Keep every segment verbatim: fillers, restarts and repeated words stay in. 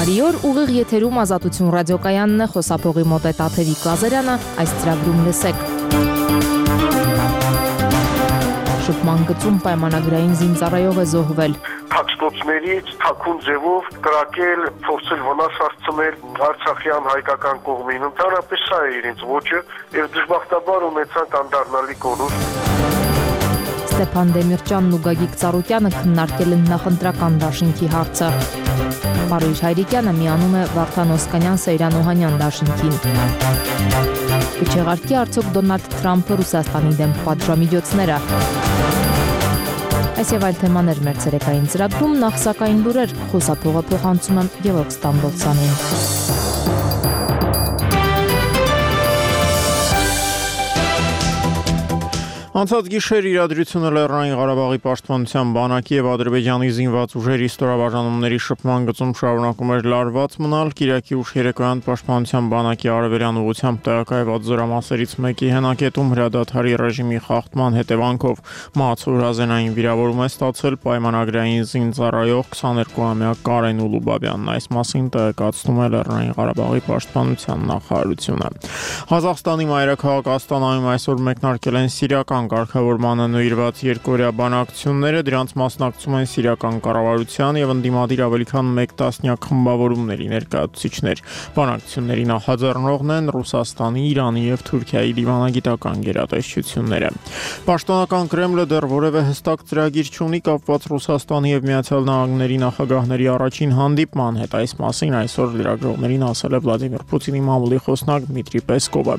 Բարի օր, ուղիղ եթերում Ազատություն ռադիոկայանն է, խոսափողի մոտ է Տաթևիկ Ղազարյանը, այս ծրագրում լսեք։ Շփման գծում պայմանագրային զինծառայող է զոհվել։ Փակստոցներից թաքուն ձևով կրակել, փորձել վնաս հասցնել Արցախյան հայկական կողմին։ Ընդհանրապես սա է իրենց ոճը, եւ դժբախտաբար ունեցանք անդառնալի կորուստ։ Ստեփան Դեմիրճյանն ու Գագիկ Ծառուկյանը քննարկել են նախընտրական դաշինքի հարցը։ Պարույր Հայրիկյանը միանում է Վարդան Օսկանյան Սեյրան Օհանյան դաշինքին։ Կչեղարկի արդյոք Դոնալդ Թրամփը Ռուսաստանի դեմ պատժամիջոցները։ Այս եւ այլ թեմաներ մեր ցերեկային ծրագրում, նախ սակայն լուրեր, խոսափողը փոխանցում եմ Գևորգ Ստամբոլցյանին։ Անցած գիշեր իրադրությունը Լեռնային Ղարաբաղի պաշտպանության բանակի եւ Ադրբեջանի զինված ուժերի ստորաբաժանումների շփման գծում շարունակում էր լարված մնալ։ Կիրակի ուշ երեկոյան պաշտպանության բանակի արևելյան ուղությամբ տեղակայված զորամասերից մեկի հենակետում հրադադարի ռեժիմի խախտման հետևանքով մահացորազենային վիրավորում է ստացել պայմանագրային զինծառայող քսաներկուամյա Կարեն Ուլուբաբյանն։ Այս մասին տեղեկացնում է Լեռնային Ղարաբաղի պաշտպանության նախարարությունը։ Ղազախստանի մայրաքաղաք Աստանայում այսօր մեկնարկել են սիրիական կարգավորմանը նվիրված երկօրյա բանակցությունները, դրանց մասնակցում են սիրիական կառավարության եւ ընդդիմադիր ավելի քան մեկ տասնյակ խմբավորումների ներկայացուցիչներ։ Բանակցությունների նախաձեռնողն են Ռուսաստանի, Իրանի եւ Թուրքիայի դիվանագիտական գերատեսչությունները։ Պաշտոնական Կրեմլը դեռ որևէ հստակ ծրագիր չունի կապված Ռուսաստանի եւ Միացյալ Նահանգների նախագահների առաջին հանդիպման հետ։ Այս մասին այսօր լրագրողներին ասել է Վլադիմիր Պուտինի մամուլի խոսնակ Դմիտրի Պեսկովը։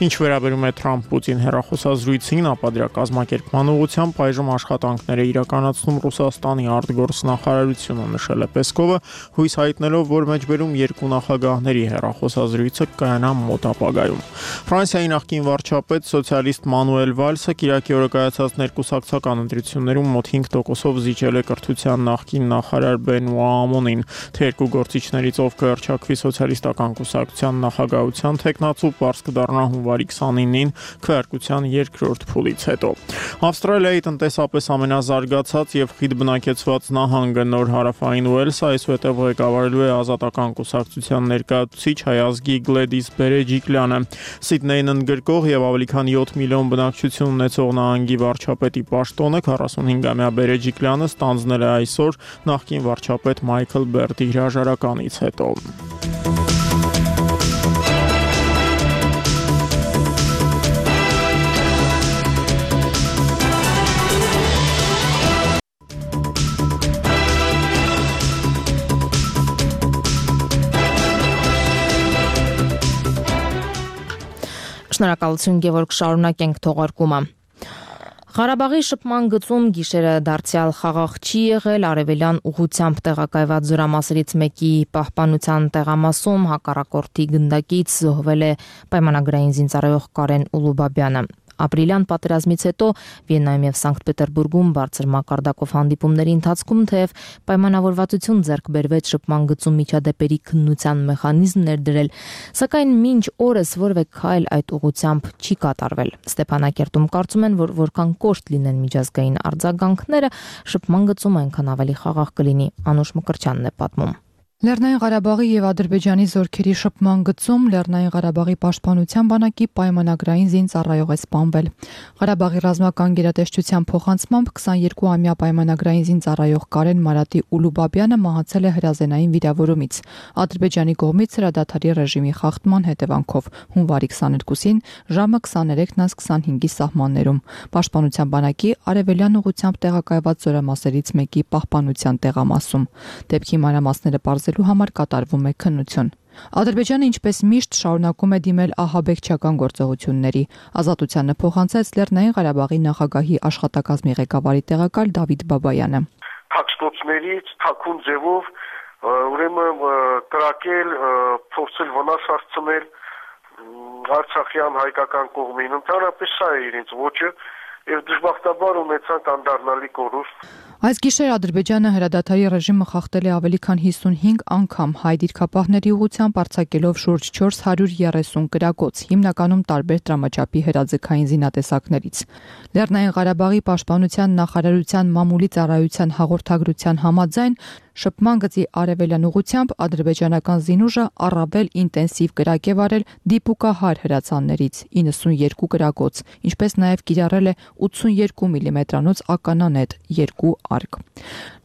Ինչ վերաբերում է Թրամփ-Պուտին հեռախոսազրույցին, ապա դրա կազմակերպման ուղղությամբ այժմ աշխատանքներ է իրականացնում Ռուսաստանի արտգործնախարարությունը, նշել է Պեսկովը, հույս հայտնելով, որ մեջբերում երկու նախագահների հեռախոսազրույցը կայանա մոտ ապագայում։ Ֆրանսիայի նախկին վարչապետ սոցիալիստ Մանուել Վալսը կիրակի օրը կայացած ներկուսակցական ընտրություններում մոտ հինգ տոկոսով զիջել է կրթության նախկին նախարար Բենուա Ամոնին։ Թե երկու գործիչներից ով կհռչակվի սոցիալիստական կուսակցության նախագահության թեկնածու, պարզ կդառնա հունվարի քսանինին քվեարկության երկրորդ փուլից հետո։ Ավստրալիայի տնտեսապես ամենազարգացած եւ խիտ բնակեցված նահանգը Նոր Հարավային Ուելսը այսուհետև ղեկավարելու է ազատական կուսակցության ներկայացուցիչ հայ ազգի Գլեդիս Բերեջիկլյանը։ Սիդնեյն ընդգրկող եւ ավելի քան յոթ միլիոն բնակչություն ունեցող նահանգի վարչապետի պաշտոնը քառասունհինգամյա Բերեջիկլյանը ստանձնել է այսօր նախկին վարչապետ Մայքլ Բերտի հրաժարականից հետո։ Շնորհակալություն Գևորգ, շարունակենք թողարկումը։ Ղարաբաղի շփման գծում գիշերը դարձյալ խաղաղ չի եղել, արևելյան ուղությամբ տեղակայված զորամասերից մեկի պահպանության տեղամասում հակառակորդի գնդակից զոհվել է պայմանագրային զինծառայող Կարեն Ուլուբաբյանը։ Ապրիլյան պատերազմից հետո Վիեննայում եւ Սանկտ Պետերբուրգում բարձր մակարդակով հանդիպումների ընթացքում թեև պայմանավորվածություն ձեռք բերվեց շփման գծում միջադեպերի քննության մեխանիզմ ներդրել, սակայն մինչ օրս որևէ քայլ այդ ուղղությամբ չի կատարվել։ Ստեփանակերտում կարծում են, որ որքան կոշտ լինեն միջազգային արձագանքները, շփման գծում այնքան ավելի խաղաղ կլինի։ Անուշ Մկրտչյանն է պատմում։ Լեռնային Ղարաբաղի եւ Ադրբեջանի զորքերի շփման գծում Լեռնային Ղարաբաղի պաշտպանության բանակի պայմանագրային զինծառայող է սպանվել։ Ղարաբաղի ռազմական գերատեսչության փոխանցմամբ քսաներկուամյա պայմանագրային զինծառայող Կարեն Մարատի Ուլուբաբյանը մահացել է հրազենային վիրավորումից Ադրբեջանի կողմից հրադադարի ռեժիմի խախտման հետևանքով հունվարի քսաներկուսին ժամը քսաներեքն քսանհինգի սահմաններում պաշտպանության բանակի արևելյան ուղությամբ տեղակայված զորամասերից մեկի պահպանության տեղամասում։ Դեպքի մանրամասները պարզելու համար կատարվում է քննություն։ Ադրբեջանը ինչպես միշտ շարունակում է դիմել ահաբեկչական գործողությունների։ Ազատությանը փոխանցեց Լեռնային Ղարաբաղի նախագահի աշխատակազմի ղեկավարի տեղակալ Դավիթ Բաբայանը։ Փակստոցներից թաքուն ձևով ուրեմն կրակել, փորձել վնաս հասցնել Արցախյան հայկական կողմին։ Ընդհանրապես սա է իրենց ոճը, եւ դժբախտաբար ունեցանք անդառնալի կորուստ։ Այս գիշեր Ադրբեջանը հրադադարի ռեժիմը խախտել է ավելի քան հիսունհինգ անգամ, հայ դիրքապահների ուղղությամբ արձակելով շուրջ չորս հարյուր երեսուն կրակոց, հիմնականում տարբեր տրամաչափի հրաձգային զինատեսակներից։ Լեռնային Ղարաբաղի պաշտպանության նախարարության մամուլի ծառայության հաղորդագրության համաձայն Շփման գծի արևելյան ուղությամբ ադրբեջանական զինուժը առավել ինտենսիվ կրակ է վարել դիպուկահար հրացաններից իննսունյերկու կրակոց, ինչպես նաև կիրառել է ութսունյերկու միլիմետրանոց ականանետ երկու արկ։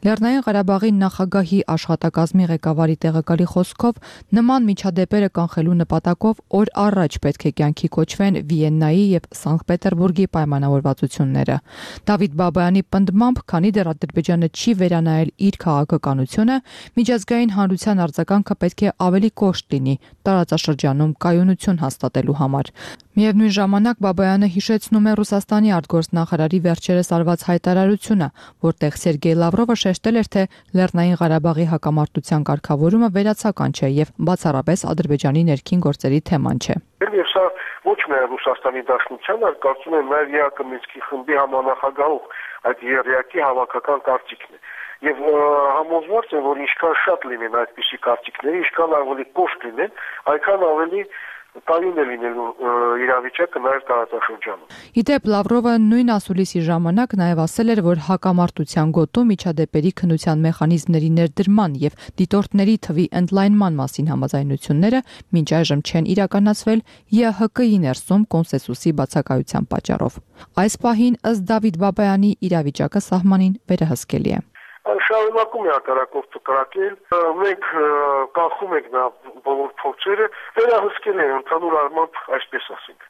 Լեռնային Ղարաբաղի նախագահի աշխատակազմի ղեկավարի տեղակալի խոսքով նման միջադեպերը կանխելու նպատակով օր առաջ պետք է կյանքի կոչվեն Վիեննայի եւ Սանկտ Պետերբուրգի պայմանավորվածությունները։ Դավիթ Բաբայանի պնդմամբ, քանի դեռ Ադրբեջանը չի վերանայել իր քաղաքականությունը, միջազգային հանրության արձագանքը պետք է ավելի կոշտ լինի տարածաշրջանում կայունություն հաստատելու համար։ Միևնույն ժամանակ Բաբայանը հիշեցնում է Ռուսաստանի արտգործնախարարի վերջերս արված հայտարարությունը, որտեղ Սերգեյ Լավրովը շեշտել էր, թե Լեռնային Ղարաբաղի հակամարտության կարգավորումը վերացական չէ եւ բացառապես Ադրբեջանի ներքին գործերի թեման չէ։ Եվ սա ոչ միայն Ռուսաստանի Դաշնության, այլ կարծում եմ նաև ԵԱԿ Մինսկի խմբի համանախագահող այդ երեակի հավաքական կարծիքն է։ Եվ համոզված եմ, որ ինչքան շատ լինեն այդպիսի կարծիքները, ինչքան ավելի կոշտ լինեն, այնքան ավելի կայուն է լինելու իրավիճակը նաև տարածաշրջանում։ Իդեպ Լավրովը նույն ասուլիսի ժամանակ նաև ասել էր, որ հակամարտության գոտու միջադեպերի քննության մեխանիզմների ներդրման եւ դիտորդների թվի ընդլայնման մասին համաձայնությունները մինչ այժմ չեն իրականացվել ԵՀԿ-ի ներսում կոնսենսուսի բացակայության պատճառով։ Այս պահին ըստ Դավիթ Բաբայանի իրավիճակը սահմանին վերահսկելի է։ Շարունակում է հակառակորդը կրակել, մենք կանխում ենք նա բոլոր փորձերը, վերահսկել են ընդհանուր առմամբ, այսպես ասենք։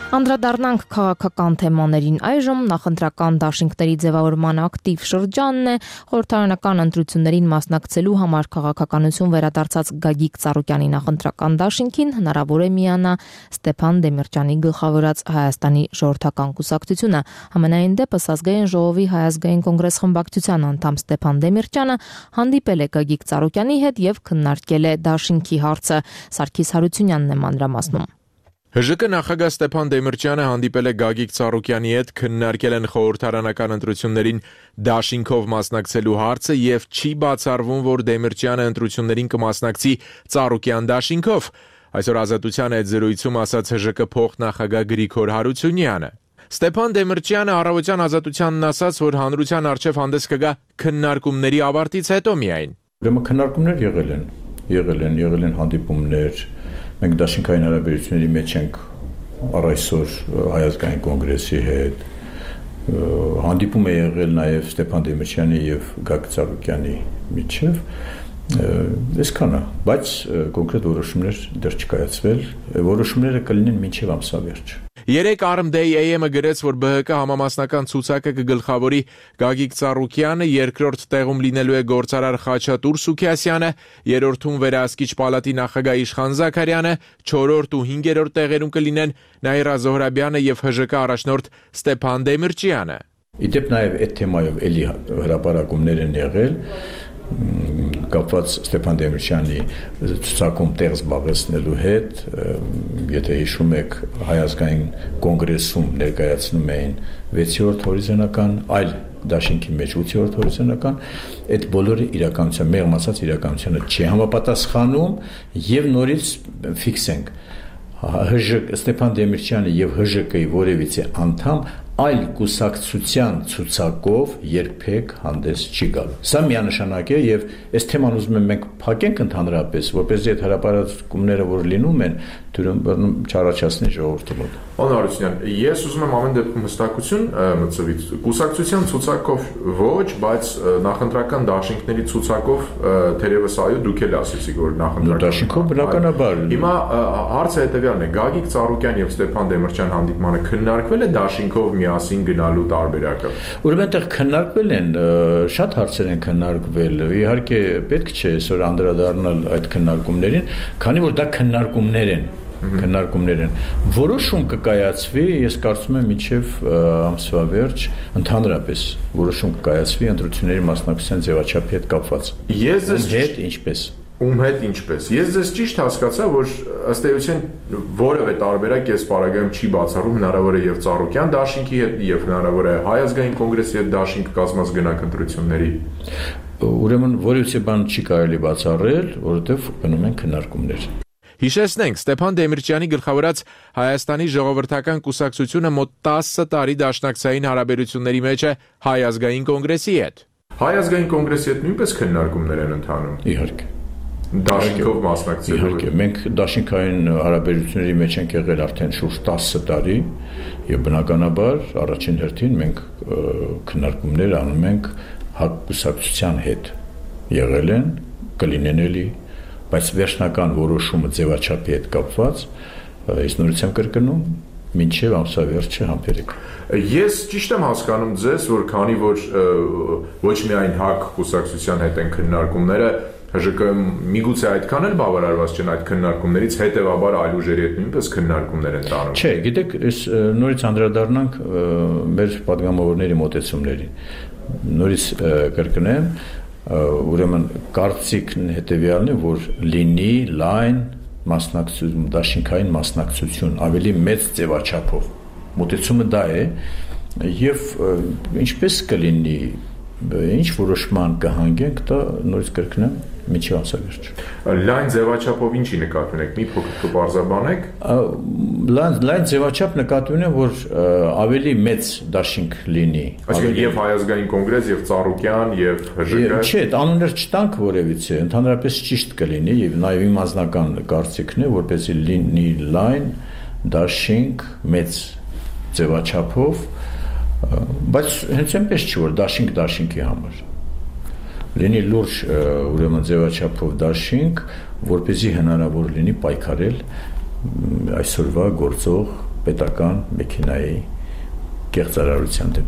Անդրադառնանք քաղաքական թեմաներին այժմ նախընտրական դաշինքների ձևավորման ակտիվ շրջանն է, խորհրդարանական ընտրություններին մասնակցելու համար քաղաքականություն վերադարձած Գագիկ Ծառուկյանի նախընտրական դաշինքին հնարավոր է միանա Ստեփան Դեմիրճյանի գլխավորած Հայաստանի ժողովրդական կուսակցությունը։ Համենայն դեպս ազգային ժողովի հայազգային կոնգրես խմբակցության անդամ Ստեփան Դեմիրճյանը հանդիպել է Գագիկ Ծառուկյանի հետ եւ քննարկել է դաշինքի հարցը։ Սարգիս Հարությունյանն է մանրամասնում։ ՀԺԿ նախագահ Ստեփան Դեմիրճյանը հանդիպել է Գագիկ Ծառուկյանի հետ, քննարկել են խորհրդարանական ընտրություններին դաշինքով մասնակցելու հարցը եւ չի բացառվում, որ Դեմիրճյանը ընտրություններին կմասնակցի Ծառուկյան դաշինքով։ Այսօր Ազատության հետ զրույցում ասաց ՀԺԿ փոխնախագահ Գրիգոր Հարությունյանը։ Ստեփան Դեմիրճյանը առավոտյան Ազատությանն ասաց, որ հանրության առջև հանդես կգա քննարկումների ավարտից հետո միայն։ Ուրեմն քննարկումներ եղել են, եղել են, եղել են հանդիպումներ։ Մենք դաշինքային հարաբերությունների մեջ ենք առ այսօր Հայազգային կոնգրեսի հետ, հանդիպում է եղել նաև Ստեփան Դեմիրճյանի եւ Գագիկ Ծառուկյանի միջև, այսքանը, բայց կոնկրետ որոշումներ դեռ չկայացվել, որոշումները կլինեն մինչև ամսավերջ։ Երեք Armday A M-ը գրեց, որ ԲՀԿ համամասնական ցուցակը կգլխավորի Գագիկ Ծառուկյանը, երկրորդ տեղում լինելու է գործարար Խաչատուր Սուքիասյանը, երրորդում վերահսկիչ պալատի նախագահ Իշխան Զաքարյանը, չորրորդ ու հինգերորդ տեղերում կլինեն Նաիրա Զոհրաբյանը եւ ՀԺԿ առաջնորդ Ստեփան Դեմիրճյանը։ Իդեպ նաև այդ թեմայով էլի հրապարակումներ են եղել, կապված Ստեփան Դեմիրճյանի ցուցակում տեղ զբաղեցնելու հետ, եթե հիշում եք, Հայազգային կոնգրեսում ներկայացնում էին վեցերորդ հորիզոնական, այլ դաշինքի մեջ ութերորդ հորիզոնական, այդ բոլորը իրականության, մեղմ ասած իրականությանը չի համապատասխանում եւ նորից ֆիքսենք ՀԺԿ Ստեփան Դեմիրճյանը եւ ՀԺԿ-ի որևիցե անդամ այլ կուսակցության ցուցակով երբեք հանդես չի գալու։ Սա միանշանակ է եւ այս թեման ուզում եմ մենք փակենք ընդհանրապես, որպեսզի այդ հրապարակումները, որ լինում են, դուրում չառաջացնի ժողովրդի մոտ։ Պարոն Հարությունյան, ես ուզում եմ ամեն դեպքում հստակություն մտցվի։ Կուսակցության ցուցակով ոչ, բայց նախընտրական դաշինքների ցուցակով թերևս այո, դուք էլ ասեցիք, որ նախընտրական դաշինքով բնականաբար։ Հիմա հարցը հետեւյալն է. Գագիկ Ծառուկյան եւ Ստեփան Դեմիրճյան հանդիպմանը քննարկվել է դաշինքով միասին գնալու տարբերակը։ Ուրեմն այդտեղ քննարկվել են շատ հարցեր են քննարկվել։ Իհարկե պետք չէ այսօր անդրադառնալ այդ քննարկումներին, քանի որ դա քննարկումներ են, քննարկումներ են։ Որոշում կկայացվի, ես կարծում եմ մինչև ամսվա վերջ ընդհանրապես որոշում կկայացվի ընտրությունների մասնակցության ձևաչափի հետ կապված։ Ես ձեզ հետ ինչպես Ում հետ ինչպես։ Ես ձեզ ճիշտ հասկացա, որ ըստ էության որևէ տարբերակ այս պարագայում չի բացառում, հնարավոր է եւ Ծառուկյան դաշինքի հետ, եւ հնարավոր է Հայազգային կոնգրեսի հետ դաշինք կազմած գնանք ընտրությունների։ Ուրեմն որևիցե բան չի կարելի բացառել, որովհետեւ գնում են քննարկումներ։ Հիշեցնենք, Ստեփան Դեմիրճյանի գլխավորած Հայաստանի ժողովրդական կուսակցությունը մոտ տասը տարի դաշնակցային հարաբերությունների մեջ է Հայ ազգային կոնգրեսի հետ։ Հայ ազգային կոնգրեսի հետ նույնպես քննարկումներ են ընթանում։ Իհարկե։ Դաշինքով մասնակցելու։ Իհարկե, մենք դաշինքային հարաբերությունների մեջ ենք եղել արդեն շուրջ տասը տարի եւ բնականաբար առաջին հերթին մենք քննարկումներ անում ենք հակուսակցության հետ եղել են, կլինեն էլի, բայց վերջնական որոշումը ձևաչափի հետ կապված ես նորից եմ կրկնում մինչև ամսավերջը համբերեք։ Ես ճիշտ եմ հասկանում ձեզ, որ քանի որ ոչ միայն հակ կուսակցության հետ են քննարկումները, ՀԺԿ-ը միգուցե այդքան էլ բավարարված չեն այդ քննարկումներից, հետևաբար այլ ուժերի հետ նույնպես քննարկումներ են տանում։ Չէ, գիտեք, ես նորից անդրադառնանք մեր падգամավորների մոտեցումներին։ Նորից կրկնեմ, ուրեմն կարծիքն հետևյալն է, որ լինի լայն մասնակցություն, դաշինքային մասնակցություն, ավելի մեծ ձևաչափով։ Մոտեցումը դա է, եւ ինչպես կլինի, ինչ որոշման կհանգենք, դա նորից կրկնեմ, միջի ամսավերջ։ Լայն ձևաչափով ինչի նկատի ունեք, մի փոքր կբարձրաբանեք։ Լայն լայն ձևաչափ նկատի ունեմ, որ ավելի մեծ դաշինք լինի։ Այսինքն եւ Հայ ազգային կոնգրես, եւ Ծառուկյան, եւ ՀԺԿ։ Չէ, անուններ չտանք որևիցե, ընդհանրապես ճիշտ կլինի եւ նաեւ իմ անձնական կարծիքն է, որպեսզի լինի լայն դաշինք մեծ ձևաչափով, բայց հենց այնպես չի, որ դաշինք դաշինքի համար լինի լուրջ ուրեմն ձևաչափով դաշինք, որպեսզի հնարավոր լինի պայքարել այսօրվա գործող պետական մեքենայի կեղծարարության դեմ։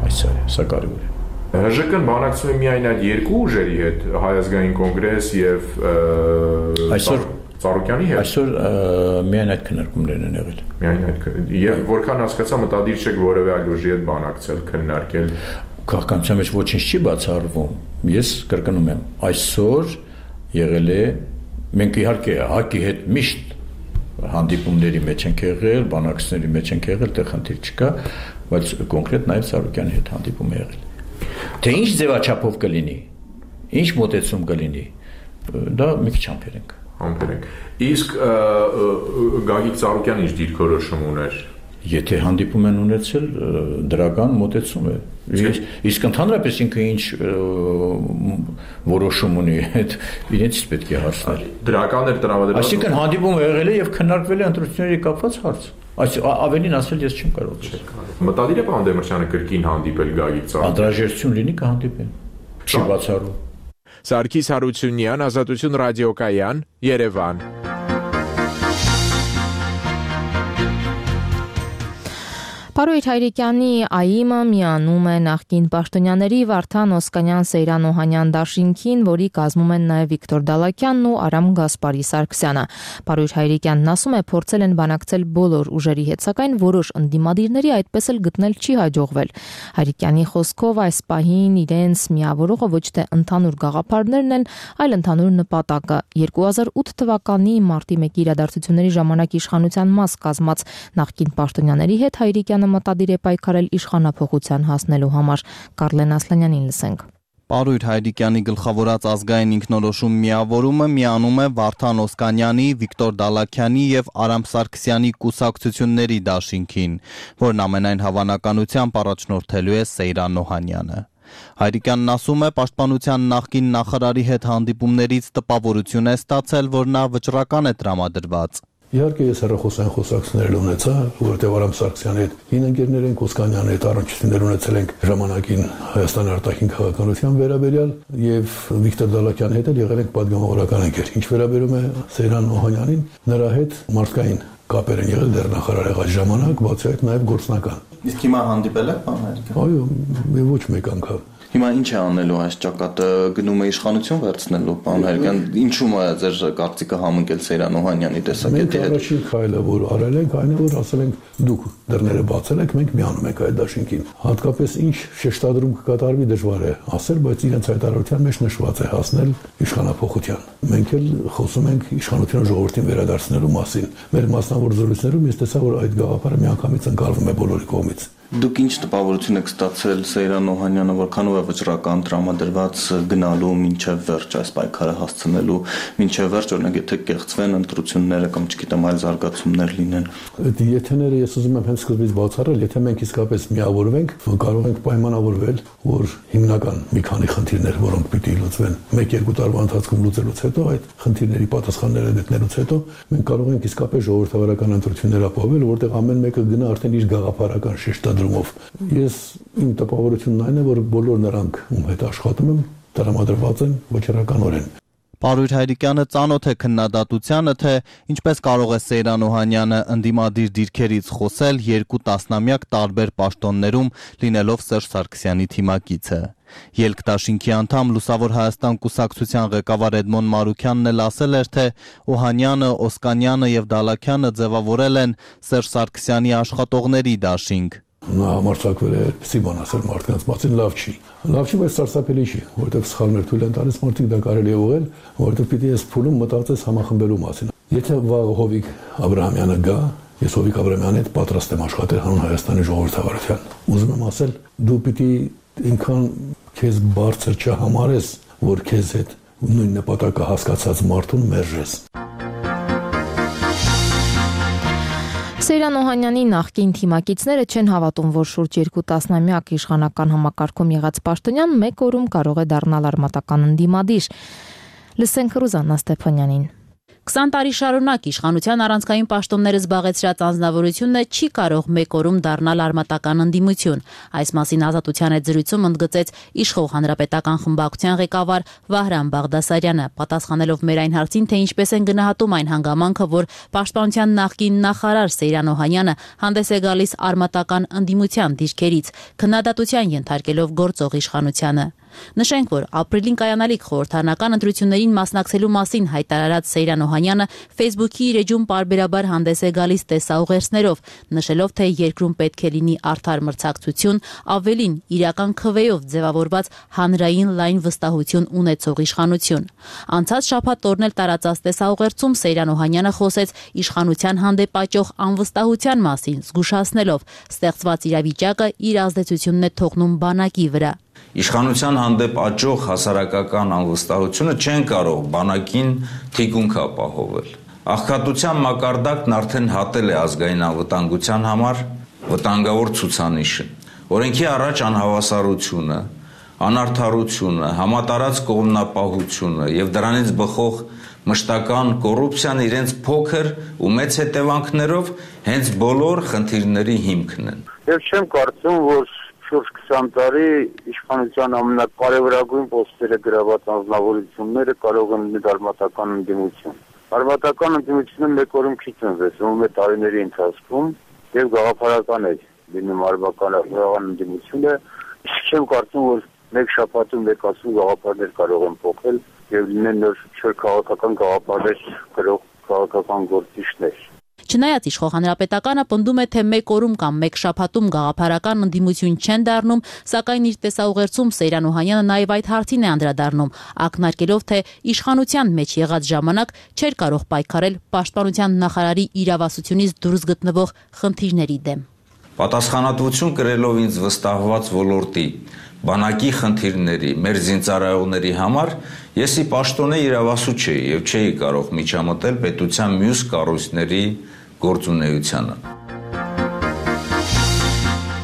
Այսա է, սա կարևոր է։ ՀԺԿ-ն բանակցում է միայն այդ երկու ուժերի հետ, Հայ ազգային կոնգրես եւ այսօր Ծառուկյանի հետ։ Այսօր միայն այդ քննարկումներն են եղել։ Միայն այդ եւ որքան հասկացա, մտադիր չեք որևէ այլ ուժի հետ բանակցել, քննարկել։ Քաղաքականության մեջ ոչինչ չի բացառվում։ Ես կրկնում եմ, այսօր եղել է, մենք իհարկե հակի հետ միշտ հանդիպումների մեջ ենք եղել, բանակցությունների մեջ ենք եղել, դեռ խնդիր չկա, բայց կոնկրետ նաև Ծառուկյանի հետ հանդիպում է եղել։ Թե ինչ ձևաչափով կլինի, ինչ մոտեցում կլինի, դա մի քիչ համբերենք։ Համբերենք։ Իսկ Գագիկ Ծառուկյանը ինչ դիրքորոշում ուներ։ Եթե հանդիպում են ունեցել, դրական մոտեցում է։ Իսկ ընդհանրապես ինքը ինչ որոշում ունի, այդ իրենցից պետք է հարցնել։ Դրական էր տրամադրված։ Այսինքն հանդիպումը եղել է եւ քննարկվել է ընտրությունների կապված հարց։ Այս ավելին ասել ես չեմ կարող։ Մտադիր է պարոն Դեմիրճյանը կրկին հանդիպել Գագիկ Ծառուկյանին։ Անհրաժեշտություն լինի կհանդիպեն։ Չի բացառում։ Սարգիս Հարությունյան, Ազատություն ռադիոկայան, Երևան։ Պարույր Հայրիկյանի ԱԻՄ-ը միանում է նախկին պաշտոնյաների Վարդան Օսկանյան, Սեյրան Օհանյան դաշինքին, որի կազմում են նաև Վիկտոր Դալաքյանն ու Արամ Գասպարի Սարգսյանը։ Պարույր Հայրիկյանն ասում է, փորձել են բանակցել բոլոր ուժերի հետ, սակայն որոշ ընդդիմադիրների այդպես էլ գտնել չի հաջողվել։ Հայրիկյանի խոսքով այս պահին իրենց միավորողը ոչ թե ընդհանուր գաղափարներն են, այլ ընդհանուր նպատակը։ երկու հազար ութ թվականի մարտի մեկի իրադարձությունների ժամանակ իշխանության մաս կազմած նախկին պաշտոնյաների հետ Հայրիկյանը մտադիր է պայքարել իշխանափոխության հասնելու համար։ Կարլեն Ասլանյանին լսենք։ Պարույր Հայրիկյանի գլխավորած ազգային ինքնորոշում միավորումը միանում է Վարդան Օսկանյանի, Վիկտոր Դալաքյանի եւ Արամ Սարգսյանի կուսակցությունների դաշինքին, որն ամենայն հավանականությամբ առաջնորդելու է Սեյրան Օհանյանը։ Հայրիկյանն ասում է, պաշտպանության նախկին նախարարի հետ հանդիպումներից տպավորություն է ստացել, որ նա վճռական է տրամադրված։ Իհարկե ես հեռախոսային խոսակցություններ ունեցա, որտեղ Արամ Սարգսյանի հետ հին ընկերներ ենք, Օսկանյանի հետ առնչություններ ունեցել ենք ժամանակին Հայաստանի արտաքին քաղաքականության վերաբերյալ եւ Վիկտոր Դալաքյանի հետ էլ եղել ենք պատգամավորական ընկեր։ Ինչ վերաբերում է Սեյրան Օհանյանին, նրա հետ մարդկային կապեր են եղել դեռ նախարար եղած ժամանակ, բացի այդ նաեւ գործնական։ Իսկ հիմա հանդիպել եք, պարոն Հայրիկյան։ Այո, ոչ մեկ անգամ։ Հիմա ինչ է անելու այս ճակատը, գնում է իշխանություն վերցնելու, պարոն Հայրիկյան, ինչու՞ է ձեր կարծիքը համընկել Սեյրան Օհանյանի տեսակետի հետ։ Մենք առաջին քայլը, որ արել ենք, այն է, որ ասել ենք դուք դռները բացել եք, մենք միանում ենք այդ դաշինքին։ Հատկապես ինչ շեշտադրում կկատարվի դժվար է ասել, բայց իրենց հայտարարության մեջ նշված է հասնել իշխանափոխության։ Մենք էլ խոսում ենք իշխանությունը ժողովրդին վերադարձնելու մասին։ Մեր մասնավոր զրույցներում ես տեսա, որ այդ գաղափարը միանգամից ընկալվում է բոլորի կողմից։ Դուք ինչ տպավորություն եք ստացել Սեյրան Օհանյանը, որքանով է վճռական տրամադրված գնալու մինչև վերջ այս պայքարը հասցնելու, մինչև վերջ օրինակ եթե կեղծվեն ընտրությունները կամ չգիտեմ այլ զարգացումներ լինեն։ Այդ եթեները ես ուզում եմ հենց սկզբից բացառել, եթե մենք իսկապես միավորվենք, կարող ենք պայմանավորվել, որ հիմնական մի քանի խնդիրներ, որոնք պիտի լուծվեն, մեկ-երկու տարվա ընթացքում լուծելուց հետո, այդ խնդիրների պատասխանները գտնելուց հետո մենք կարող ենք իսկապես ժողովրդավարական ընտրություններ ապահովել, որտեղ ամեն մեկը գնա արդեն իր գաղափարական շեշտադրումով։ Ես իմ տպավորությունն այն է, որ բոլոր նրանք, ում հետ աշխատում եմ, տրամադրված են վճռականորեն։ Պարույր Հայրիկյանը ծանոթ է քննադատությանը, թե ինչպես կարող է Սեյրան Օհանյանը ընդդիմադիր դիրքերից խոսել երկու տասնամյակ տարբեր պաշտոններում լինելով Սերժ Սարգսյանի թիմակիցը։ Ելք դաշինքի անդամ Լուսավոր Հայաստան կուսակցության ղեկավար Էդմոն Մարուքյանն էլ ասել էր, թե Օհանյանը, Օսկանյանը եւ Դալաքյանը ձևավորել են Սերժ Սարգսյանի աշխատողների դաշինք։ Նա համարձակվել է այդպիսի բան ասել մարդկանց մասին, լավ չի։ Լավ չի, բայց սարսափելի չի, որովհետև սխալներ թույլ են տալիս մարդիկ դա կարելի է ուղղել, որովհետև պիտի ես փուլում մտածես համախմբելու մասին։ Եթե վաղ Հովիկ Աբրահամյանը գա, ես Հովիկ Աբրահամյանի հետ պատրաստ եմ աշխատել հանուն Հայաստանի ժողովրդավարության։ Ուզում եմ ասել, դու պիտի ինքան քեզ բարձր չհամարես, որ քեզ հետ նույն նպատակը հասկացած մարդուն մերժես։ Սեյրան Օհանյանի նախկին թիմակիցները չեն հավատում, որ շուրջ երկու տասնամյակ իշխանական համակարգում եղած պաշտոնյան մեկ օրում կարող է դառնալ արմատական ընդդիմադիր։ Լսենք Ռուզաննա Ստեփանյանին։ քսան տարի շարունակ իշխանության առանցքային պաշտոնները զբաղեցրած անձնավորությունը չի կարող մեկ օրում դառնալ արմատական ընդդիմություն։ Այս մասին Ազատության հետ զրույցում ընդգծեց իշխող հանրապետական խմբակցության ղեկավար Վահրամ Բաղդասարյանը, պատասխանելով մեր այն հարցին, թե ինչպես են գնահատում այն հանգամանքը, որ պաշտպանության նախկին նախարար Սեյրան Օհանյանը հանդես է գալիս արմատական ընդդիմության դիրքերից, քննադատության ենթարկելով գործող իշխանությանը։ Նշենք, որ ապրիլին կայանալիք խորհրդարանական ընտրություններին մասնակցելու մասին հայտարարած Սեյրան Օհանյանը Facebook-ի իր էջում պարբերաբար հանդես է գալիս տեսաուղերձներով, նշելով, թե երկրում պետք է լինի արդար մրցակցություն, ավելին իրական քվեով ձևավորված հանրային լայն վստահություն ունեցող իշխանություն։ Անցած շաբաթ օրն էլ տարածած տեսաուղերձում Սեյրան Օհանյանը խոսեց իշխանության հանդեպ աճող անվստահության մասին, զգուշացնելով, ստեղծված իրավիճակը իր ազդեցությունն է թողնում բանակի վրա։ Իշխանության հանդեպ աճող հասարակական անվստահությունը չեն կարող բանակին թիկունք ապահովել։ Աղքատության մակարդակն արդեն հատել է ազգային անվտանգության համար վտանգավոր ցուցանիշը։ Օրենքի առաջ անհավասարությունը, անարդարությունը, համատարած կողմնապահությունը եւ դրանից բխող մշտական կոռուպցիան իրենց փոքր ու մեծ հետևանքներով հենց բոլոր խնդիրների հիմքն են։ Եվ չեմ կարծում, որ շուրջ քսան տարի իշխանության ամենակարևորագույն պոստերը գրաված անձնավորությունները կարող են լինել արմատական ընդդիմություն։ Արմատական ընդդիմությունը մեկ օրում չի ծնվեցնում է տարիների ընթացքում եւ գաղափարական է լինում արմատական ընդդիմությունը։ Իսկ չեմ կարծում, որ մեկ շաբաթում մեկասու գաղափարներ կարող են փոխել եւ լինեն նոր քաղաքական գաղափարներ գրող քաղաքական գործիչներ։ Չնայած իշխող հանրապետականը պնդում է, թե մեկ օրում կամ մեկ շաբաթում գաղափարական ընդդիմություն չեն դառնում, սակայն իր տեսաուղերձում Սեյրան Օհանյանը նաև այդ հարցին է անդրադառնում, ակնարկելով, թե իշխանության մեջ եղած ժամանակ չէր կարող պայքարել պաշտպանության նախարարի իրավասությունից դուրս գտնվող խնդիրների դեմ։ Պատասխանատվություն կրելով ինձ վստահված ոլորտի բանակի խնդիրների, մեր զինծառայողների համար ես ի պաշտոնե իրավասու չէի եւ չէի կարող միջամտել պետության մյուս կառույցների գործունեությանը։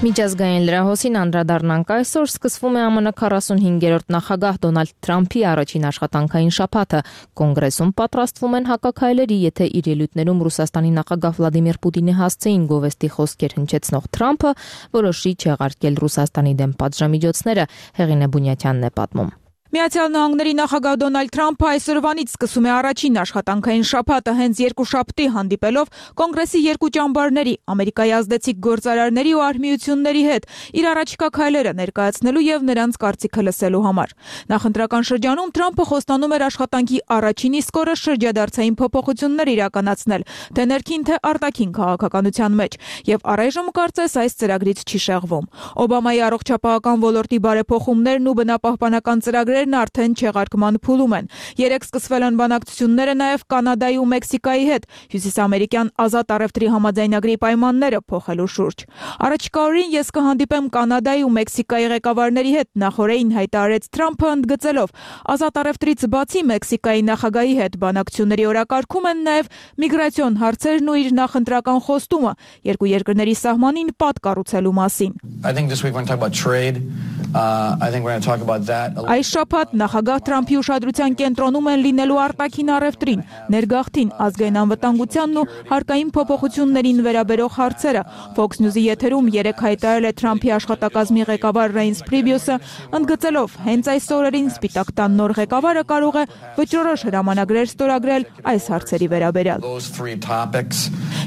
Միջազգային լրահոսին անդրադառնանք այսօր սկսվում է ԱՄՆ քառասունհինգերորդ նախագահ Դոնալդ Թրամփի առաջին աշխատանքային շաբաթը։ Կոնգրեսում պատրաստվում են հակաքայլերի, եթե իր ելույթներում Ռուսաստանի նախագահ Վլադիմիր Պուտինի հասցեին գովեստի խոսքեր հնչեցնող Թրամփը որոշի չեղարկել Ռուսաստանի դեմ պատժամիջոցները, Հեղինե Բունյաթյանն է պատմում։ Միացյալ Նահանգների նախագահ Դոնալդ Թրամփը այսօրվանից սկսում է առաջին աշխատանքային շաբաթը հենց երկուշաբթի հանդիպելով կոնգրեսի երկու ճամբարների, Ամերիկայի ազդեցիկ գործարարների ու արհմիությունների հետ իր առաջիկա քայլերը ներկայացնելու եւ նրանց կարծիքը լսելու համար։ Նախընտրական շրջանում Թրամփը խոստանում էր աշխատանքի առաջին իսկ օրը շրջադարձային փոփոխություններ իրականացնել, թե ներքին թե արտաքին քաղաքականության մեջ, եւ առայժմ կարծես այս ծրագրից չի շեղվում։ Օբամայի առողջապահական ոլորտի բարեփոխումներն ու բնապահպանական ծրագրերը հարցերն արդեն չեղարկման փուլում են։ Երեք սկսվել են բանակցությունները նաև Կանադայի ու Մեքսիկայի հետ հյուսիսամերիկյան ազատ առևտրի համաձայնագրի պայմանները փոխելու շուրջ։ Առաջիկա օրերին ես կհանդիպեմ Կանադայի ու Մեքսիկայի ղեկավարների հետ, նախորդին հայտարարեց Թրամփը, ընդգծելով ազատ առևտրից բացի Մեքսիկայի նախագահի հետ բանակցությունների օրակարգում են նաև միգրացիոն հարցերն ու իր նախընտրական խոստումը երկու երկրների սահմանին պատ կառուցելու մասին։ Այս շաբաթ նախագահ Թրամփի ուշադրության կենտրոնում են լինելու արտաքին առևտրին, ներգաղթին, ազգային անվտանգությանն ու հարկային փոփոխություններին վերաբերող հարցերը։ Fox News-ի եթերում երեկ հայտարարել է Թրամփի աշխատակազմի ղեկավար Ռեյնս Պրիբյուսը, ընդգծելով հենց այս օրերին Սպիտակ տան նոր ղեկավարը կարող է վճռորոշ հրամանագրեր ստորագրել այս հարցերի վերաբերյալ։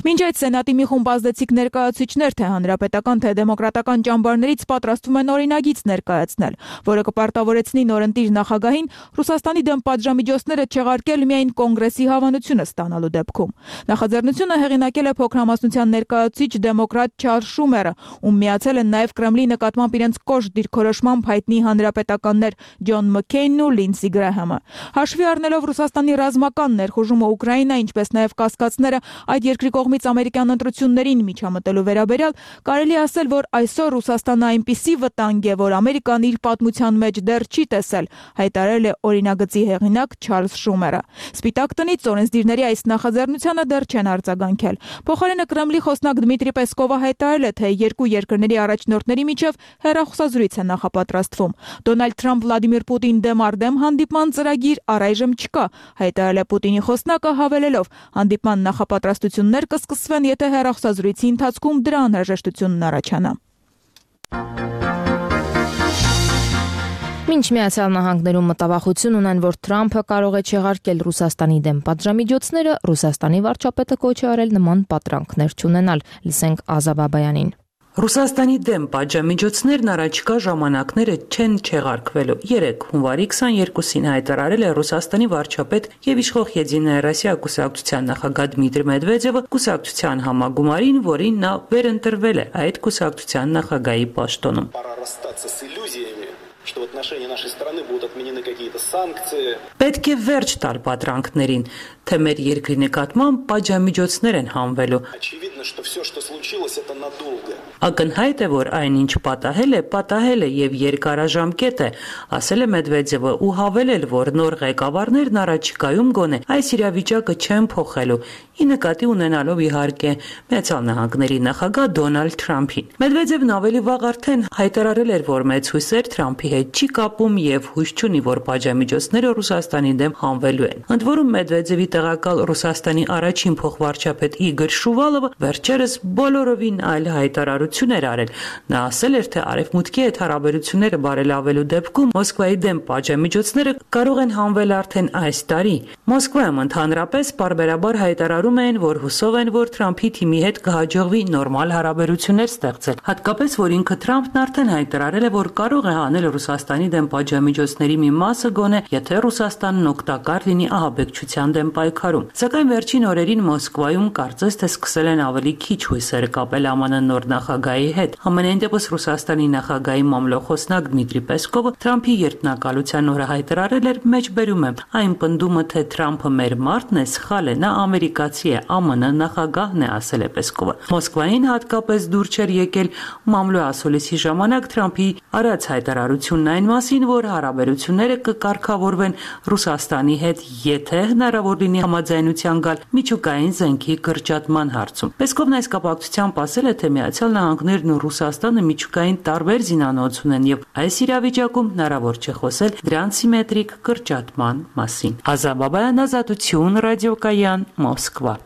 Մինչ այդ Սենատի մի խումբ ազդեցիկ ներկայացուցիչներ թե հանրապետական թե դեմոկրատական ճամբարներից պատրաստվում են օրինագիծ ներկայացնել, որը կպարտավորեցնի նորընտիր նախագահին Ռուսաստանի դեմ պատժամիջոցները չեղարկել միայն կոնգրեսի հավանությունը ստանալու դեպքում։ Նախաձեռնությունը հեղինակել է փոքրամասնության ներկայացուցիչ դեմոկրատ Չարլզ Շումերը, ում միացել են նաև Կրեմլի նկատմամբ իրենց կոշտ դիրքորոշմամբ հայտնի հանրապետականներ Ջոն Մքեյնն ու Լինսի Գրահամը։ Հաշվի առնելով Ռուսաստանի ռազմական ներխուժումը Ուկրաինա, ինչպես նաև կասկածները այդ երկրի կողմից ամերիկյան ընտրություններին միջամտելու վերաբերյալ, կարելի ասել, որ այսօր Ռուսաստանը այնպիսի վտանգ է, որ Ամերիկան իր պատմության մեջ դեռ չի տեսել, հայտարարել է օրինագծի հեղինակ Չարլզ Շումերը։ Սպիտակ տնից օրենսդիրների այս նախաձեռնությանը դեռ չեն արձագանքել։ Փոխարենը Կրեմլի խոսնակ Դմիտրի Պեսկովը հայտարարել է, թե երկու երկրների առաջնորդների միջև հեռախոսազրույց է նախապատրաստվում։ Դոնալդ Թրամփ-Վլադիմիր Պուտին դեմ առ դեմ հանդիպման ծրագիր առայժմ չկա, հայտարարել է Պուտինի խոսնակը, հավելելով, հանդիպման նախապատրաստություններ կսկսվեն, եթե հեռախոսազրույցի ընթացքում դրա անհրաժեշտությունն առաջանա։ Մինչ Միացյալ Նահանգներում մտավախություն ունեն, որ Թրամփը կարող է չեղարկել Ռուսաստանի դեմ պատժամիջոցները, Ռուսաստանի վարչապետը կոչ է արել նման պատրանքներ չունենալ։ Լսենք Ազա Բաբայանին։ Ռուսաստանի դեմ պատժամիջոցներն առաջիկա ժամանակները չեն չեղարկվելու։ Երեկ հունվարի քսաներկուսին հայտարարել է Ռուսաստանի վարչապետ եւ իշխող Եդինայա Ռոսիա կուսակցության նախագահ Դմիտրի Մեդվեդևը կուսակցության համագումարին, որին նա վերընտրվել է այդ կուսակցության նախագահի պաշտոնում։ Что в отношении нашей страны будут отменены какие-то санкции. Պետք է վերջ տալ պատրանքներին, թե մեր երկրի նկատմամբ պատժամիջոցներ են հանվելու։ Очевидно, что все, что случилось, это надолго. Ակնհայտ է, որ այն ինչ պատահել է, պատահել է եւ երկարաժամկետ է, ասել է Մեդվեդևը ու հավելել, որ նոր ղեկավարներն առաջիկայում գոնե այս իրավիճակը չեն փոխելու, ի նկատի ունենալով իհարկե Միացյալ Նահանգների նախագահ Դոնալդ Թրամփին։ Մեդվեդևն ավելի վաղ արդեն հայտարարել էր, որ մեծ հույսեր Թրամփի հետ չի կապում եւ հույս չունի, որ պատժամիջոցները Ռուսաստանի դեմ հանվելու են։ Ընդ որում Մեդվեդևի տեղակալ Ռուսաստանի առաջին փոխվարչապետ Իգոր Շուվալովը վերջերս բոլորովին այլ հայտարարություն էր արել։ Նա ասել էր, թե արևմուտքի հետ հարաբերությունները բարելավելու դեպքում Մոսկվայի դեմ պատժամիջոցները կարող են հանվել արդեն այս տարի։ Մոսկվայում ընդհանրապես բարբերաբար հայտարարում էին, որ հուսով են, որ Թրամփի թիմի հետ կհաջողվի նորմալ հարաբերություններ ստեղծել։ Հատկապես, որ ինքը Թրամփն արդեն հայտարարել է, որ կարող է հանել Ռուսաստանի դեմ պատժամիջոցների մի մասը գոնե, եթե Ռուսաստանն օգտակար լինի ահաբեկչության դեմ պայքարում։ Սակայն վերջին օրերին Մոսկվայում կարծես թե սկսել են ավելի քիչ հույսեր կապել ԱՄՆ նոր նախագահի հետ։ Համենայն դեպս Ռուսաստանի նախագահի մամլոխոսնակ Դմիտրի Պեսկովը Թրամփի երդմնակալության օրը հայտարարել էր, մեջբերում եմ, այն պնդումը, թե Թրամփը մեր մարդն է, սխալ է, նա ամերիկացի է, ԱՄՆ նախագահն է, ասել է Պեսկովը։ Մոսկվային հատկապես դուր չէր եկել մամլո ասուլիսի ժամանակ Թրամփի արած հայտարարությունն այն մասին, որ հարաբերությունները կկարգավորվեն Ռուսաստանի հետ, եթե հնարավոր լինի համաձայնության գալ միջուկային զենքի կրճատման հարցում։ Պեսկովն այս կապակցությամբ ասել է, թե Միացյալ Նահանգներն ու Ռուսաստանը միջուկային տարբեր զինանոց ունեն եւ այս իրավիճակում հնարավոր չէ խոսել դրանց սիմետրիկ կրճատման մասին։ Ազա Բաբայան, Ազատություն, Ռադիոկայան, Մոսկվա։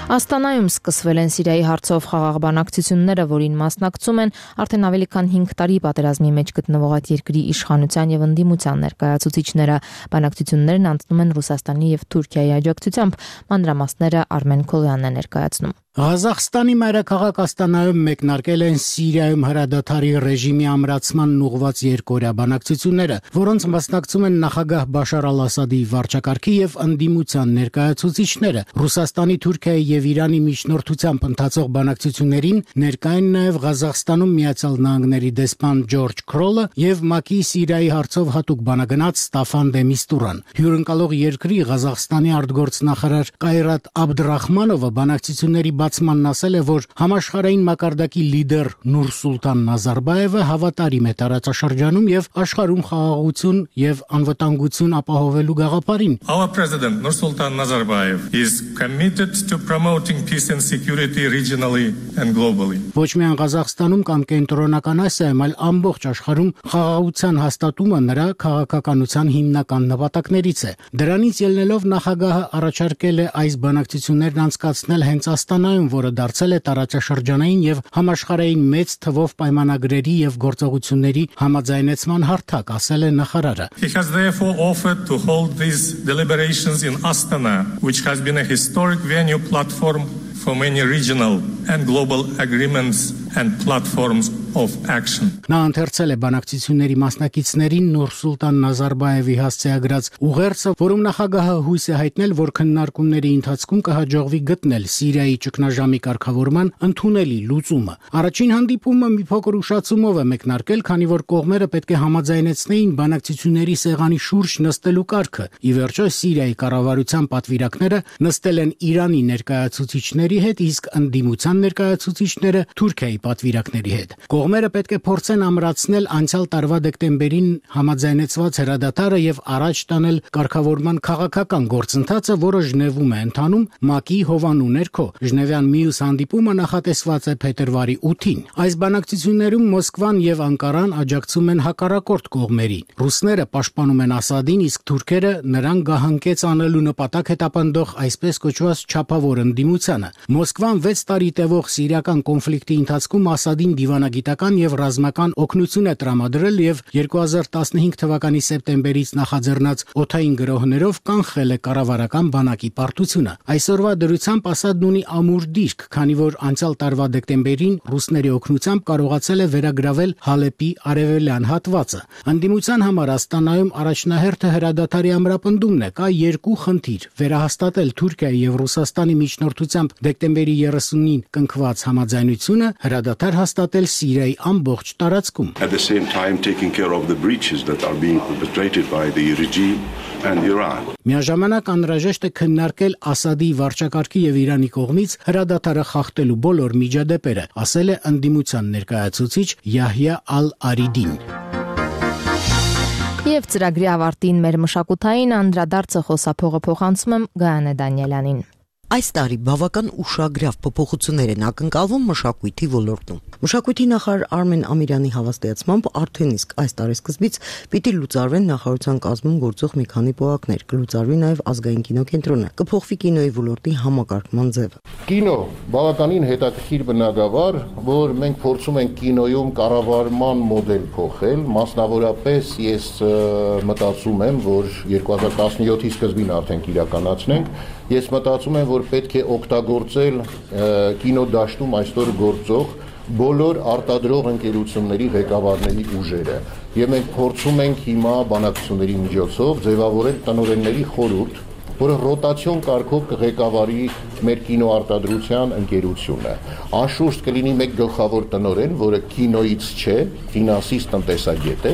Աստանայում սկսվել են Սիրիայի հարցով խաղաղ բանակցությունները, որին մասնակցում են արդեն ավելի քան հինգ տարի պատերազմի մեջ գտնվող այդ երկրի իշխանության եւ ընդդիմության ներկայացուցիչները։ Բանակցություններն անցնում են Ռուսաստանի եւ Թուրքիայի աջակցությամբ, մանրամասները Արմեն Քոլյանն է ներկայացնում։ Ղազախստանի մայրաքաղաք Աստանայում մեկնարկել են Սիրիայում հրադադարի ռեժիմի ամրացմանն ուղղված երկօրյա բանակցությունները, որոնց մասնակցում են նախագահ Բաշար Ալ-Ասադի վարչակարգի եւ ընդդիմության ներկայացուցիչները, Ռուսաստանի, Թուրքիայի եւ Իրանի միջնորդությամբ ընթացող բանակցություններին ներկային նաեւ Ղազախստանում Միացյալ Նահանգների դեսպան Ջորջ Քրոլը եւ ՄԱԿ-ի Սիրիայի հարցով հատուկ բանագնաց Ստաֆան դե Միստուրան։ Հյուրընկալող երկրի Ղազախստանի արտգործնախարար Կայրատ Աբդռախմանովը բանակցությունների բացմանն ասել է, որ համաշխարհային մակարդակի լիդեր Նուրսուլտան Նազարբաևը հավատարիմ է տարածաշրջանում եւ աշխարհում խաղաղություն եւ անվտանգություն ապահովելու գաղափարին։ Our President Nursultan Nazarbayev is committed to promoting peace and security regionally and globally. Ոչ միայն Ղազախստանում կամ Կենտրոնական Ասիայում, այլ ամբողջ աշխարհում խաղաղության հաստատումը նրա քաղաքականության հիմնական նպատակներից է։ Դրանից ելնելով նախագահը առաջարկել է այս բանակցություններն անցկացնել հենց Աստանայում, որը դարձել է տարածաշրջանային եւ համաշխարհային մեծ թվով պայմանագրերի եւ գործողությունների համաձայնեցման հարթակ, ասել է նախարարը։ He has therefore offered to hold these deliberations in Astana, which has been a historic venue platform for many regional and global agreements and platforms of action. Նա ընթերցել է բանակցությունների մասնակիցներին Նուրսուլտան Նազարբաևի հասցեագրած ուղերձը, որում նախագահը հույս է հայտնել, որ քննարկումների ընթացքում կհաջողվի գտնել Սիրիայի ճգնաժամի կարգավորման ընդունելի լուծումը։ Առաջին հանդիպումը մի փոքր ուշացումով է մեկնարկել, քանի որ կողմերը պետք է համաձայնեցնեին բանակցությունների սեղանի շուրջ նստելու կարգը։ Ի վերջո Սիրիայի կառավարության պատվիրակները նստել են Իրանի ներկայացուցիչների հետ, իսկ ընդդիմության ներկայացուցիչները Թուրքիայի պատվիրակների հետ։ Կողմերը պետք է փորձեն ամրացնել անցյալ տարվա դեկտեմբերին համաձայնեցված հրադադարը եւ առաջ տանել կարգավորման քաղաքական գործընթացը, որը Ժնևում է ընթանում ՄԱԿ-ի հովանու ներքո։ Ժնևյան մյուս հանդիպումը նախատեսված է փետրվարի ութին։ Այս բանակցություններում Մոսկվան եւ Անկարան աջակցում են հակառակորդ կողմերին։ Ռուսները պաշտպանում են Ասադին, իսկ թուրքերը նրան գահանկեց անելու նպատակ հետապնդող այսպես կոչված չափավոր ընդդիմությանը։ Մոսկվան վեց տարի տևող սիրիական կոնֆլիկտի ընթացքում Ասադին դիվանագիտական եւ ռազմական օգնություն է տրամադրել եւ երկու հազար տասնհինգ թվականի սեպտեմբերից նախաձեռնած օդային գրոհներով կանխել է կառավարական բանակի պարտությունը։ Այսօրվա դրությամբ Ասադն ունի ամուր դիրք, քանի որ անցյալ տարվա դեկտեմբերին ռուսների օգնությամբ կարողացել է վերագրավել Հալեպի արևելյան հատվածը։ Ընդդիմության համար Աստանայում առաջնահերթը հրադադարի ամրապնդումն է։ Կա երկու խնդիր՝ վերահաստատել Թուրքիայի եւ Ռուսաստանի միջնորդությամբ դեկտեմբերի երեսունին կնքված համաձայնությունը, հրադադար հաստատել Սիրիայի ամբողջ տարածքում։ At the same time taking care of the breaches that are being perpetrated by the regime and Iran. Միաժամանակ անհրաժեշտ է քննարկել Ասադի վարչակարգի եւ Իրանի կողմից հրադադարը խախտելու բոլոր միջադեպերը, ասել է ընդդիմության ներկայացուցիչ Յահյա Ալ-Արիդին։ Եվ ծրագրի ավարտին մեր մշակութային անդրադարձը խոսափողը փոխանցում եմ Գայանե Դանիելյանին։ Այս տարի բավական ուշագրավ փոփոխություններ են ակնկալվում մշակույթի ոլորտում։ Մշակույթի նախարար Արմեն Ամիրյանի հավաստիացմամբ արդեն իսկ այս տարեսկզբից պիտի լուծարվեն նախարարության կազմում գործող մի քանի պոակներ, կլուծարվի նաև ազգային կինոկենտրոնը, կփոխվի կինոյի ոլորտի համակարգման ձևը։ Կինո բավականին հետաքրքիր բնագավառ, որ մենք փորձում ենք կինոյում կառավարման մոդել փոխել, մասնավորապես ես մտածում եմ, որ երկու հազար տասնյոթի սկզբին արդեն կիրականացնենք։ Ես մտածում եմ, որ պետք է օգտագործել կինոդաշտում այսօր գործող բոլոր արտադրող ընկերությունների ղեկավարների ուժերը։ Եվ մենք փորձում ենք հիմա բանակցությունների միջոցով ձևավորել տնօրենների խորհուրդ, որը ռոտացիոն կարգով կղեկավարի մեր կինոարտադրության ընկերությունը։ Անշուշտ կլինի մեկ գլխավոր տնօրեն, որը կինոից չէ, ֆինանսիստ տնտեսագետ է,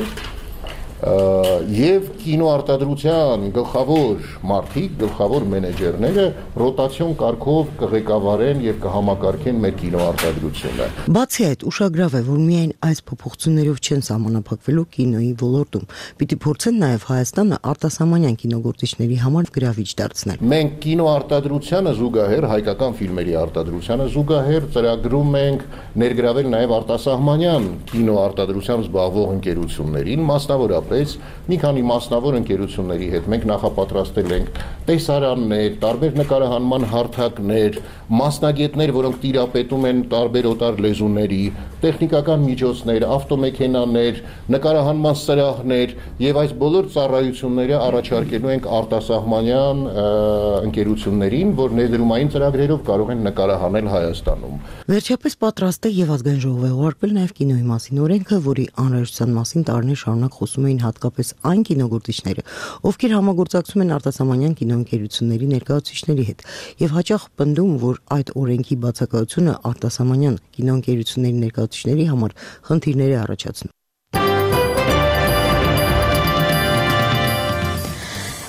եւ կինոարտադրության գլխավոր մարդիկ, գլխավոր մենեջերները ռոտացիոն կարգով կղեկավարեն եւ կհամակարգեն մեր կինոարտադրությունը։ Բացի այդ, ուշագրավ է, որ միայն այս փոփոխություններով չեն սահմանափակվելու կինոյի ոլորտում։ Պիտի փորձեն նաեւ Հայաստանը արտասահմանյան կինոգործիչների համար գրավիչ դարձնել։ Մենք կինոարտադրությանը զուգահեռ, հայկական ֆիլմերի արտադրությանը զուգահեռ ծրագրում ենք ներգրավել նաեւ արտասահմանյան կինոարտադրությամբ զբաղվող ընկերություններին, մասնավորապես մի քանի մասնավոր ընկերությունների հետ մենք նախապատրաստել ենք տեսարաններ, տարբեր նկարահանման հարթակներ, մասնագետներ, որոնք տիրապետում են տարբեր օտար լեզուների, տեխնիկական միջոցներ, ավտոմեքենաներ, նկարահանման սրահներ եւ այս բոլոր ծառայությունները առաջարկելու ենք արտասահմանյան ընկերություններին, որ ներդրումային ծրագրերով կարող են նկարահանել Հայաստանում։ Վերջապես պատրաստ է եւ ազգային ժողովը ուղարկվել նաեւ կինոյի մասին օրենքը, որի անհրաժեշտության մասին տարիներ շարունակ խոսում էին հատկապես այն կինոգործիչները, ովքեր համագործակցում են արտասահմանյան կինոյի կինոընկերությունների ներկայացուցիչների հետ եւ հաճախ պնդում, որ այդ օրենքի բացակայությունը արտասահմանյան կինոընկերությունների ներկայացուցիչների համար խնդիրներ է առաջացնում։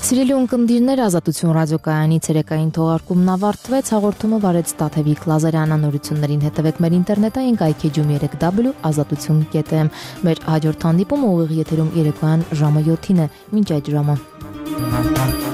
Սիրելի ունկնդիրներ, Ազատություն ռադիոկայանի ցերեկային թողարկումն ավարտվեց, հաղորդումը վարեց Տաթևիկ Լազարյանը, նորություններին հետևեք մեր ինտերնետային կայքեջում երեք w ազատություն կետ am։ Մեր հաջորդ հանդիպումը ուղիղ եթերում երեկոյան ժամը յոթին է, մինչ այդ ժամը։